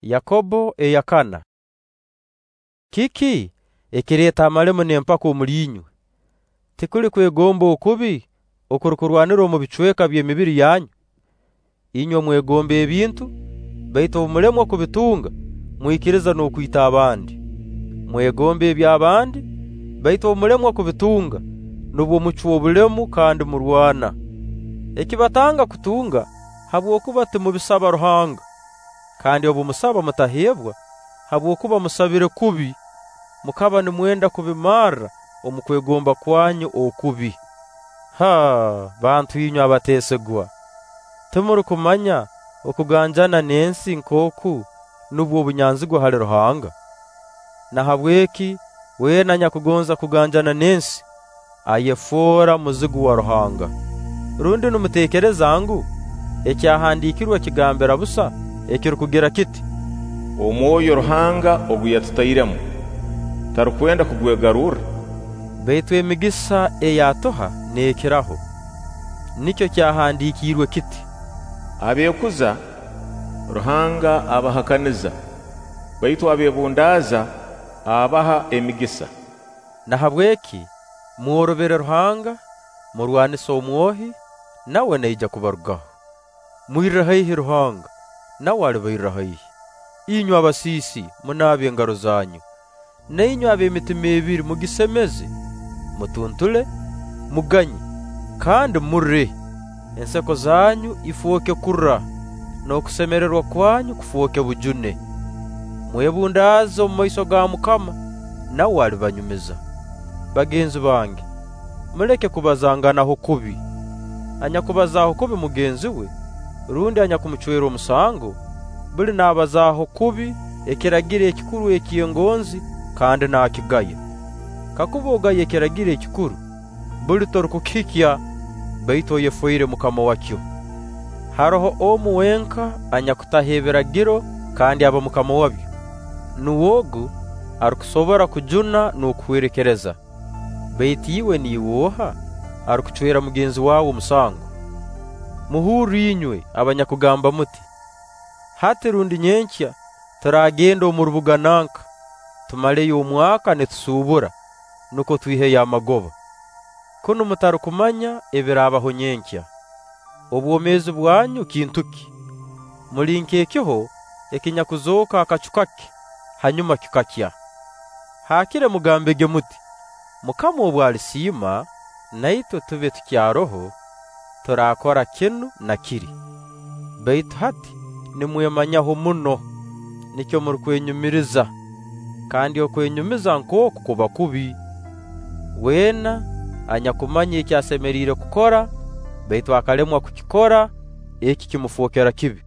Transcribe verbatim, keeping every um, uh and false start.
Yakobo eyakana. Kiki ekireeta amalemu n'empaka omuli inywe? Tikuli kwegomba okubi okurukurwanira omu bicweka by'emibiri yanyu? Inywe mwegomba ebintu, baitu obu mulemwa kubitunga, mwikiriza n'okwita abandi. Mwegomba eby'abandi, baitu obu mulemwa kubitunga, nubwo mucwa obulemu kandi murwana. Ekibatanga kutunga habwokuba timubisaba Ruhanga. Kandi obu musaba mutaheebwa, habwokuba musabire kubi, mukaba nimwenda kubimarra omu kwegomba kwanyu okubi. Ha, bantu inywe abateesigwa! Timurukumanya okuganjana n'ensi nkooku nubwo obunyanzigwa hali Ruhanga? Nahabweki weena anyakugonza kuganjana n'ensi ayefoora muzigu wa Ruhanga. Rundi nimuteekereza ngu ekyahandiikirwe kigambira busa ekirukugira kiti: Omwoyo Ruhanga ogu yatutairemu tarukwenda kugwegarurra? Baitu emigisa ei atuha neekiraho. Nikyo kyahandiikirwe kiti: Abeekuza Ruhanga abahakaniza, baitu abeebundaaza abaha emigisa. Nahabweki mworobere Ruhanga, murwanise omwohi, nawe naija kubarugaho. Mwirre haihi Ruhanga, nawe alibairra haihi. Inywe abasiisi, munaabe engaro zanyu, na inywe ab'emitima ebiri mugisemeze. Mutuntule, muganye, kandi murre. Enseko zanyu ifooke kurra, n'okusemererwa kwanyu kufooke bujune. Mwebundaaze omu maiso ga Mukama, nawe alibanyumiza. Bagenzi bange, muleke kubazanganaho kubi. Anyakubazaaho kubi mugenzi we, rundi anyakumucwera omusango, buli naabazaaho kubi ekiragiro ekikuru eky'engonzi kandi naakigaya. Kakuba ogaya ekiragiro ekikuru, buli torukukihikya, baitu oyefoire mukama wakyo. Haroho omu wenka anyakutaho ebiragiro kandi aba mukama wabyo. Nuwe ogu arukusobora kujuna n'okuhwerekereza. Baitu iwe niiwe oha arukucwera mugenzi wawe omusango? Muhurre inywe abanyakugamba muti: Hati rundi nyenkya turaagenda omu rubuga nanka, tumaleyo omwaka nitusuubura, nukwo twiheyo amagoba. Kunu mutarukumanya ebiraabaho nyenkya. Obwomeezi bwanyu kintu ki? Muli nk'ekiho ekinyakuzooka akacu kake, hanyuma kikakya. Haakire mugambege muti: Mukama obu alisiima, na itwe tube tukyaroho, turaakora kinu na kiri. Baitu hati nimwemanyaho muno, nikyo murukwenyumiriza, kandi okwenyumiza nk'oku kuba kubi. Weena anyakumanya eki asemeriire kukora, baitu akalemwa kukikora, eki kimufookera kibi.